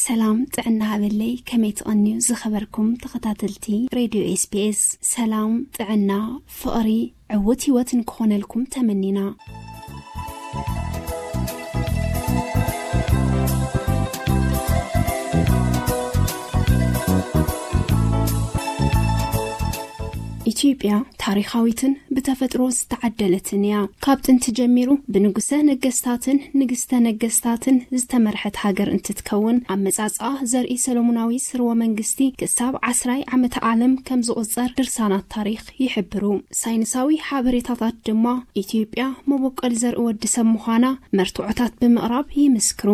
ሰላም ጥዕና ሃበለይ፣ ከመይ ትቐንዩ ዝኸበርኩም ተኸታተልቲ ሬድዮ ኤስቢኤስ? ሰላም ጥዕና፣ ፍቕሪ፣ ዕውት ህይወት ንክኾነልኩም ተመኒና። ኢትዮጵያ ታሪኻዊትን ብተፈጥሮ ዝተዓደለትን እያ። ካብ ጥንቲ ጀሚሩ ብንጉሰ ነገስታትን ንግስተ ነገስታትን ዝተመርሐት ሃገር እንትትከውን፣ ኣመጻጽኣ ዘርኢ ሰሎሞናዊ ስርወ መንግስቲ ክሳብ ዓስራይ ዓመተ ዓለም ከም ዝቑጸር ድርሳናት ታሪኽ ይሕብሩ። ሳይንሳዊ ሓበሬታታት ድማ፣ ኢትዮጵያ መበቆል ዘርኢ ወዲ ሰብ ምዃና መርትዖታት ብምቕራብ ይምስክሩ።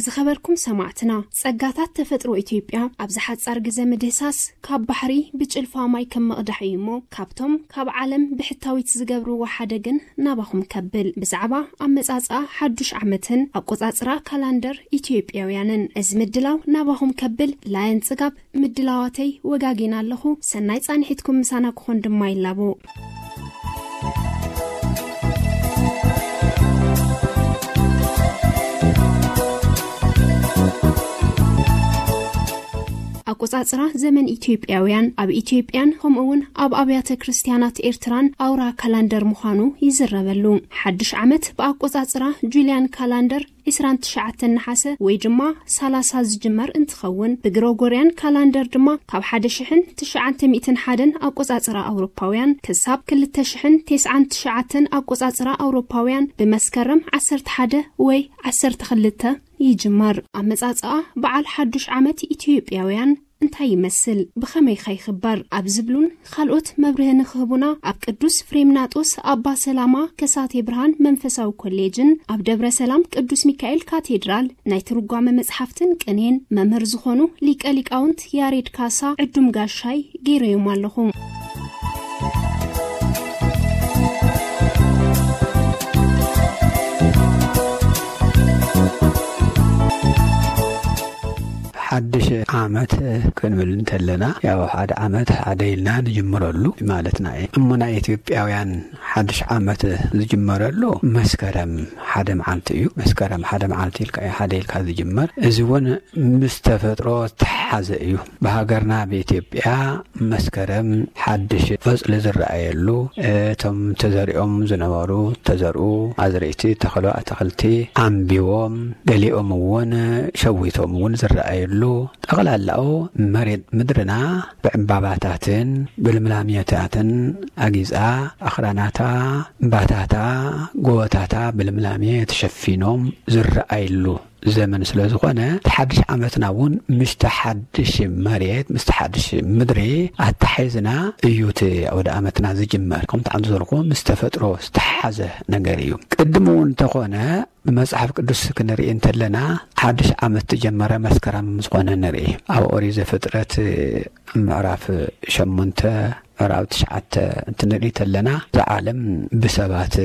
ዝኸበርኩም ሰማዕትና፣ ጸጋታት ተፈጥሮ ኢትዮጵያ ኣብዚ ሓጻር ግዜ ምድህሳስ፣ ካብ ባሕሪ ብጭልፋ ማይ ከም ምቕዳሕ እዩ እሞ፣ ካብቶም ካብ ዓለም ብሕታዊት ዝገብርዎ ሓደ ግን ናባኹም ከብል። ብዛዕባ ኣመጻጽኣ ሓዱሽ ዓመትን ኣቆጻጽራ ካላንደር ኢትዮጵያውያንን እዚ ምድላው ናባኹም ከብል፣ ላየን ጽጋብ ምድላዋተይ ወጋጊና ኣለኹ። ሰናይ ጻንሒትኩም ምሳና ክኾን ድማ ይላቦ። ኣቆጻጽራ ዘመን ኢትዮጵያውያን ኣብ ኢትዮጵያን ከምኡ'ውን ኣብ ኣብያተ ክርስቲያናት ኤርትራን ኣውራ ካላንደር ምዃኑ ይዝረበሉ። ሓድሽ ዓመት ብኣቆጻጽራ ጁልያን ካላንደር ዕስራን ትሽዓተን ነሓሰ ወይ ድማ ሰላሳ ዝጅመር እንትኸውን፣ ብግሮጎርያን ካላንደር ድማ ካብ ሓደ ሽሕን ትሽዓተ ሚእትን ሓደን ኣቆጻጽራ ኣውሮፓውያን ክሳብ ክልተ ሽሕን ተስዓን ትሽዓተን ኣቆጻጽራ ኣውሮፓውያን ብመስከረም ዓሰርተ ሓደ ወይ ዓሰርተ ክልተ ይጅመር። ኣመጻጽኣ በዓል ሓዱሽ ዓመት ኢትዮጵያውያን እንታይ ይመስል? ብኸመይ ከ ይኽበር? ኣብ ዝብሉን ካልኦት መብርሂ ንኽህቡና፣ ኣብ ቅዱስ ፍሬምናጦስ ኣባ ሰላማ ከሳቴ ብርሃን መንፈሳዊ ኮሌጅን ኣብ ደብረ ሰላም ቅዱስ ሚካኤል ካቴድራል ናይ ትርጓመ መጽሓፍትን ቅኔን መምህር ዝኾኑ ሊቀ ሊቃውንት ያሬድ ካሳ ዕዱም ጋሻይ ገይረዮም ኣለኹ። ሓድሽ ዓመት ክንብል እንተለና፣ ያው ሓደ ዓመት ሓደ ኢልና ንጅምረሉ ማለትና እዩ። እሞ ናይ ኢትዮጵያውያን ሓድሽ ዓመት ዝጅመረሉ መስከረም ሓደ መዓልቲ እዩ። መስከረም ሓደ መዓልቲ ኢልካ እዩ፣ ሓደ ኢልካ ዝጅመር። እዚ እውን ምስ ተፈጥሮ ዝተሓሓዘ እዩ። ብሃገርና ብኢትዮጵያ መስከረም ሓድሽ ቆጽሊ ዝረኣየሉ፣ እቶም ተዘሪኦም ዝነበሩ ተዘርኡ ኣዝርእቲ፣ ተኸሉ ኣትኽልቲ ኣንቢዎም፣ ገሊኦም እውን ሸዊቶም እውን ዝረኣየሉ፣ ጠቕላላኡ መሬት ምድርና ብዕምባባታትን ብልምላሜታትን ኣጊጻ፣ ኣኽራናታ፣ እምባታታ፣ ጎቦታታ ብልምላሜ ተሸፊኖም ዝረኣይሉ ዘመን ስለ ዝኾነ፣ እቲ ሓድሽ ዓመትና እውን ምስቲ ሓድሽ መሬት፣ ምስቲ ሓድሽ ምድሪ ኣተሓሒዝና እዩ እቲ ኣውደ ዓመትና ዝጅመር። ከምቲ ዓንዱ ዘልኩ ምስ ተፈጥሮ ዝተሓሓዘ ነገር እዩ። ቅድም እውን እንተኾነ፣ ብመጽሓፍ ቅዱስ ክንርኢ እንተለና፣ ሓድሽ ዓመት ዝጀመረ መስከረም ዝኾነ ንርኢ። ኣብ ኦሪት ዘፍጥረት ምዕራፍ ሸሞንተ ምዕራፍ ትሽዓተ እንትንርኢ ተለና፣ እዛ ዓለም ብሰባት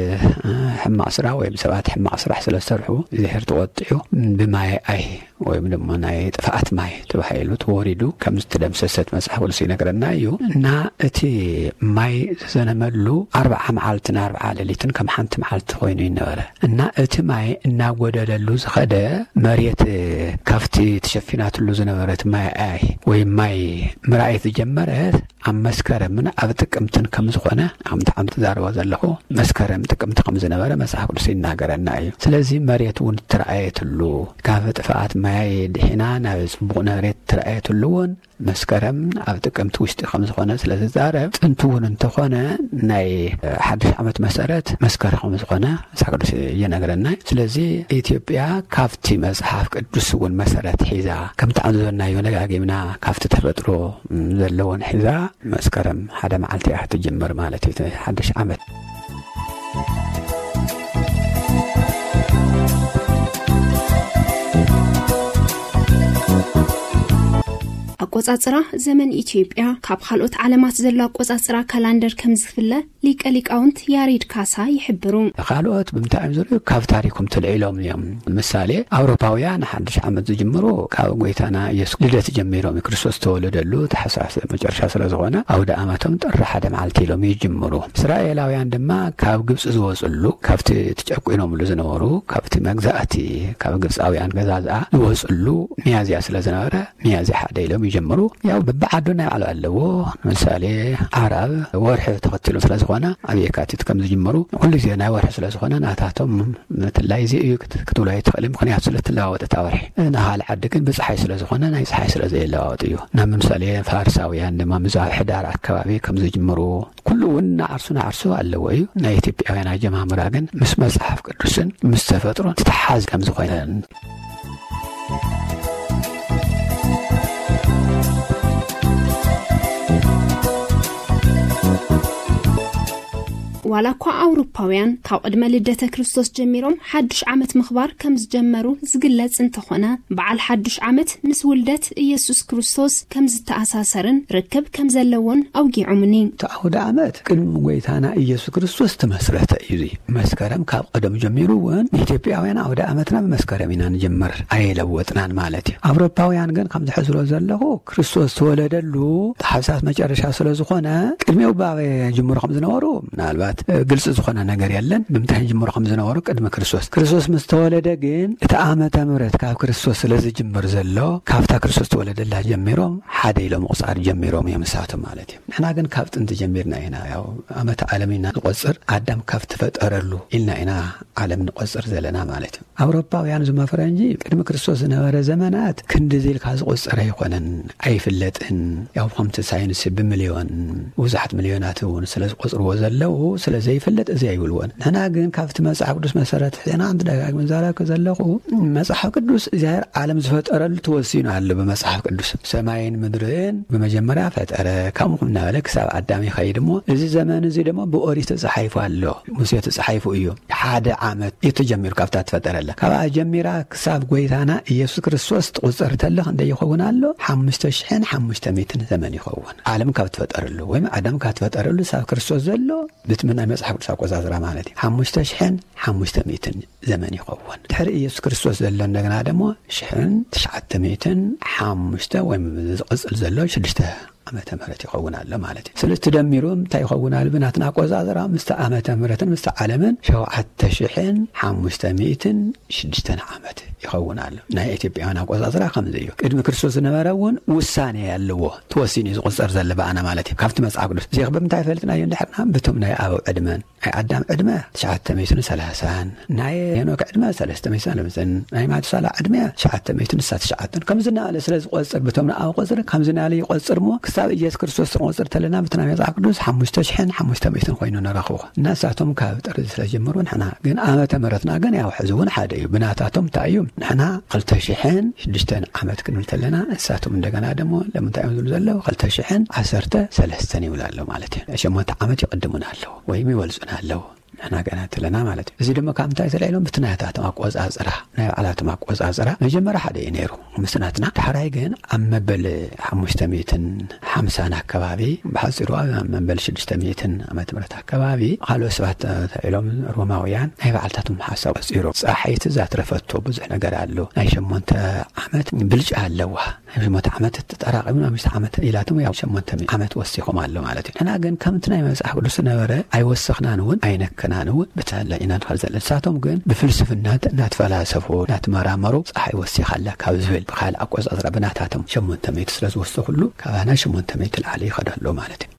ሕማቕ ስራሕ ወይ ብሰባት ሕማቕ ስራሕ ስለ ዝሰርሑ፣ እግዚኣብሔር ተቖጢዑ ብማየ ኣይ ወይም ድማ ናይ ጥፍኣት ማይ ተባሂሉ ተወሪዱ ከም ዝተደምሰሰት መጽሓፍ ቅዱስ ይነግረና እዩ። እና እቲ ማይ ዝዘነመሉ ኣርብዓ መዓልትን ኣርብዓ ሌሊትን ከም ሓንቲ መዓልቲ ኮይኑ ይነበረ። እና እቲ ማይ እናጎደለሉ ዝኸደ፣ መሬት ካብቲ ተሸፊናትሉ ዝነበረት ማይ ኣይ ወይ ማይ ምርኣይ ዝጀመረት ኣብ መስከረምን ኣብ ጥቅምትን ከም ዝኾነ፣ ከምቲ ዓም ትዛረቦ ዘለኹ፣ መስከረም ጥቅምቲ ከም ዝነበረ መጽሓፍ ቅዱስ ይናገረና እዩ። ስለዚ መሬት እውን እተረኣየትሉ፣ ካብ ጥፍኣት ማይ ድሒና ናብ ጽቡቕ መሬት እተረኣየትሉ እውን መስከረም ኣብ ጥቅምቲ ውሽጢ ከም ዝኾነ ስለ ዝዛረብ፣ ጥንቲ እውን እንተኾነ ናይ ሓድሽ ዓመት መሰረት መስከረም ከም ዝኾነ መጽሓፍ ቅዱስ ይነግረና። ስለዚ ኢትዮጵያ ካብቲ መጽሓፍ ቅዱስ እውን መሰረት ሒዛ፣ ከምቲ ኣንዘበናዮ ደጋጊምና ካብቲ ተፈጥሮ ዘለዎን ሒዛ መስከረም ሓደ መዓልቲ እያ ትጅምር ማለት እዩ፣ እቲ ሓድሽ ዓመት። ኣቆጻጽራ ዘመን ኢትዮጵያ ካብ ካልኦት ዓለማት ዘሎ ኣቆጻጽራ ካላንደር ከም ዝፍለ ሊቀ ሊቃውንት ያሬድ ካሳ ይሕብሩ። ካልኦት ብምንታይ እዮም ዝርእዩ? ካብ ታሪኮም ተልዒሎም እዮም። ምሳሌ፣ ኣውሮፓውያን ሓድሽ ዓመት ዝጅምሩ ካብ ጎይታና ኢየሱስ ልደት ጀሚሮም፣ ክርስቶስ ተወለደሉ ታሕሳስ መጨረሻ ስለ ዝኾነ ኣውደ ዓመቶም ጥሪ ሓደ መዓልቲ ኢሎም ይጅምሩ። እስራኤላውያን ድማ ካብ ግብፂ ዝወፅሉ፣ ካብቲ ተጨቁኖምሉ ዝነበሩ፣ ካብቲ መግዛእቲ፣ ካብ ግብፃውያን ገዛዝኣ ዝወፅሉ ሚያዝያ ስለ ዝነበረ፣ ሚያዝያ ሓደ ኢሎም ይጀምሩ። ያው በብዓዱ ናይ ባዕሉ ኣለዎ። ምሳሌ፣ ዓረብ ወርሒ ተኸቲሉ ስለ ዝኾነ ኣብ የካቲት ከም ዝጅምሩ፣ ኩሉ ግዜ ናይ ወርሒ ስለ ዝኾነ ናታቶም ምትላይ እዚ እዩ ክት-፣ ክትብሎ ኣይትኽእልን፣ ምኽንያቱ ስለ ትለዋወጥ እታ ወርሒ። ንኻል ዓዲ ግን ብፀሓይ ስለ ዝኾነ ናይ ፀሓይ ስለ ዘየለዋወጥ እዩ። ናብ ምሳሌ ፋርሳውያን ድማ ምዝ ኣብ ሕዳር ኣከባቢ ከም ዝጅምሩ፣ ኩሉ እውን ንዓርሱ ንዓርሱ ኣለዎ እዩ። ናይ ኢትዮጵያውያን ኣጀማምራ ግን ምስ መጽሓፍ ቅዱስን ምስ ተፈጥሮን ዝተሓዝ ከም ዝኾነ። ዋላ እኳ ኣውሮፓውያን ካብ ቅድመ ልደተ ክርስቶስ ጀሚሮም ሓድሽ ዓመት ምኽባር ከም ዝጀመሩ ዝግለጽ እንተኾነ፣ በዓል ሓድሽ ዓመት ምስ ውልደት ኢየሱስ ክርስቶስ ከም ዝተኣሳሰርን ርክብ ከም ዘለዎን ኣውጊዖምኒ። እቲ ኣውደ ዓመት ቅድሚ ጎይታና ኢየሱስ ክርስቶስ ተመስረተ እዩ። እዚ መስከረም ካብ ቀደም ጀሚሩ እውን ንኢትዮጵያውያን ኣውደ ዓመትና ብመስከረም ኢና ንጀምር፣ ኣየለወጥናን ማለት እዩ። ኣውሮፓውያን ግን ከም ዝሕዝሮ ዘለኹ ክርስቶስ ተወለደሉ ታሕሳስ መጨረሻ ስለ ዝኾነ ቅድሚኡ ባበ ጅምሩ ከም ዝነበሩ ምናልባት፣ እ፣ ግልፂ ዝኾነ ነገር የለን። ብምንታይ ጅምሩ ከም ዝነበሩ ቅድሚ ክርስቶስ። ክርስቶስ ምስ ተወለደ ግን እቲ ዓመተ ምህረት ካብ ክርስቶስ ስለ ዝጅምር ዘሎ ካብታ ክርስቶስ ተወለደላ ጀሚሮም ሓደ ኢሎም ምቑፃር ጀሚሮም እዮም ንሳቶም ማለት እዩ። ንሕና ግን ካብ ጥንቲ ጀሚርና ኢና፣ ያው ዓመት ዓለም ኢና ንቆጽር፣ ኣዳም ካብ ተፈጠረሉ ኢልና ኢና ዓለም ንቆጽር ዘለና ማለት እዩ። ኣውሮፓውያን ዝመ ፈረንጂ ቅድሚ ክርስቶስ ዝነበረ ዘመናት ክንድዚ ኢልካ ዝቆጽር ኣይኮነን፣ ኣይፍለጥን። ያው ከምቲ ሳይንስ ብሚልዮን ብዙሓት ሚልዮናት እውን ስለ ዝቆጽርዎ ዘለዉ ስለ ዘይፍለጥ እዚ ኣይብልዎን። ንሕና ግን ካብቲ መጽሓፍ ቅዱስ መሰረት ሒና ኣንቲ ደጋግመ ዛረብክ ዘለኹ መጽሓፍ ቅዱስ እግዚኣብሔር ዓለም ዝፈጠረሉ ተወሲኑ ኣሎ ብመጽሓፍ ቅዱስ። ሰማይን ምድርን ብመጀመርያ ፈጠረ፣ ከምኡ እናበለ ክሳብ ኣዳም ይኸይድ እሞ፣ እዚ ዘመን እዚ ድማ ብኦሪት ተጻሒፉ ኣሎ፣ ሙሴ ተጻሒፉ እዩ። ሓደ ዓመት እዩ ተጀሚሩ ካብታ ትፈጠረላ። ካብኣ ጀሚራ ክሳብ ጎይታና ኢየሱስ ክርስቶስ ትቑጸር ተለ ክንደይ ይኸውን ኣሎ? ሓሙሽተ ሽሕን ሓሙሽተ ሚእትን ዘመን ይኸውን። ዓለም ካብ ትፈጠረሉ ወይም ኣዳም ካብ ትፈጠረሉ ሳብ ክርስቶስ ዘሎ ብትም ናይ መጽሓፍ ቅዱስ ኣቆጻጽራ ማለት እዩ። ሓሙሽተ ሽሕን ሓሙሽተ ሚእትን ዘመን ይኸውን። ድሕሪ ኢየሱስ ክርስቶስ ዘሎ እንደገና ደሞ ሽሕን ትሽዓተ ሚእትን ሓሙሽተ ወይም ዝቕጽል ዘሎ ሽዱሽተ ዓመተ ምህረት ይኸውን ኣሎ ማለት እዩ። ስለዚ ትደሚሩ እንታይ ይኸውን ኣሎ? ብናትና ኣቆጻጽራ ምስቲ ዓመተ ምህረትን ምስቲ ዓለምን ሸውዓተ ሽሕን ሓሙሽተ ሚእትን ሽዱሽተን ዓመት ይኸውን ኣሎ። ናይ ኢትዮጵያውያን ኣቆጻጽራ ከምዚ እዩ። ቅድሚ ክርስቶስ ዝነበረ እውን ውሳኔ ኣለዎ። ተወሲኑ እዩ ዝቑጸር ዘሎ ብኣና ማለት እዩ። ካብቲ መጽሓፍ ቅዱስ። እዚ ብምንታይ ፈሊጥናዮ እንድሕርና? ብቶም ናይ ኣበው ዕድመን ናይ ኣዳም ዕድመ ትሽዓተ ሚእትን ሰላሳን፣ ናይ ሄኖክ ዕድመ ሰለስተ ሚእትን ሰለስተን፣ ናይ ማቱሳላ ዕድመ ትሽዓተ ሚእትን ስሳ ትሽዓተን። ከምዚ እናበለ ስለ ዝቆጽር፣ ብቶም ንኣብ ቆጽሪ፣ ከምዚ እናበለ ይቆጽር እሞ፣ ክሳብ ኢየሱስ ክርስቶስ ክንቆጽር ተለና፣ ብቲ ናይ መጽሓፍ ቅዱስ ሓሙሽተ ሽሕን ሓሙሽተ ሚእትን ኮይኑ ንረኽቦ። እና ንሳቶም ካብ ጥሪ ስለ ዝጀመሩ፣ ንሕና ግን ዓመተ ምህረትና ግን ያው ሕዚ እውን ሓደ እዩ። ብናታቶም እንታይ እዩ? ንሕና ክልተ ሽሕን ሽዱሽተን ዓመት ክንብል ተለና፣ ንሳቶም እንደገና ደሞ ለምንታይ እዮም ዝብሉ ዘለዉ? ክልተ ሽሕን ዓሰርተ ሰለስተን ይብሉ ኣለዉ ማለት እዩ። ሸሞንተ ዓመት ይቕድሙና ኣለዉ። ወይም ይበልጹና ኣለዉ። ንሕና ገና ተለና ማለት እዩ። እዚ ድማ ካብ ምንታይ ተልዒሎም? ብቲ ናታቶም ኣቆጻጽራ፣ ናይ ባዕላቶም ኣቆጻጽራ መጀመርያ ሓደ እዩ ነይሩ ምስ ናትና። ዳሕራይ ግን ኣብ መበል ሓሙሽተ ሚእትን ሓምሳን ኣከባቢ፣ ብሓጺሩ ኣብ መበል ሽዱሽተ ሚእትን ዓመተ ምህረት ኣከባቢ፣ ካልኦት ሰባት ተልዒሎም ሮማውያን ናይ ባዕልታቶም ሓሳብ ቆጺሮም። ጸሓይት ዛትረፈቶ ብዙሕ ነገር ኣሎ። ናይ ሸሞንተ ዓመት ብልጫ ኣለዋ። ኣብ ሸሞንተ ዓመት ተጠራቒምና ኣብ ሽተ ዓመት ኢላቶም ያው ሸሞንተ ሚእቲ ዓመት ወሲኾም ኣሎ ማለት እዩ። ንሕና ግን ከምቲ ናይ መጽሓፍ ቅዱስ ነበረ ኣይወሰኽናን እውን ኣይነከናን እውን ብተለ ኢና ንኸል ዘለና። ንሳቶም ግን ብፍልስፍና እናተፈላሰፉ እናተመራመሩ ጸሓይ ወሲኻ ኣላ ካብ ዝብል ብኻልእ ኣቆጻጽራ ብናታቶም ሸሞንተ ሚእቲ ስለ ዝወሰኹሉ ካባና ሸሞንተ ሚእቲ ላዕሊ ይኸዶ ኣሎ ማለት እዩ።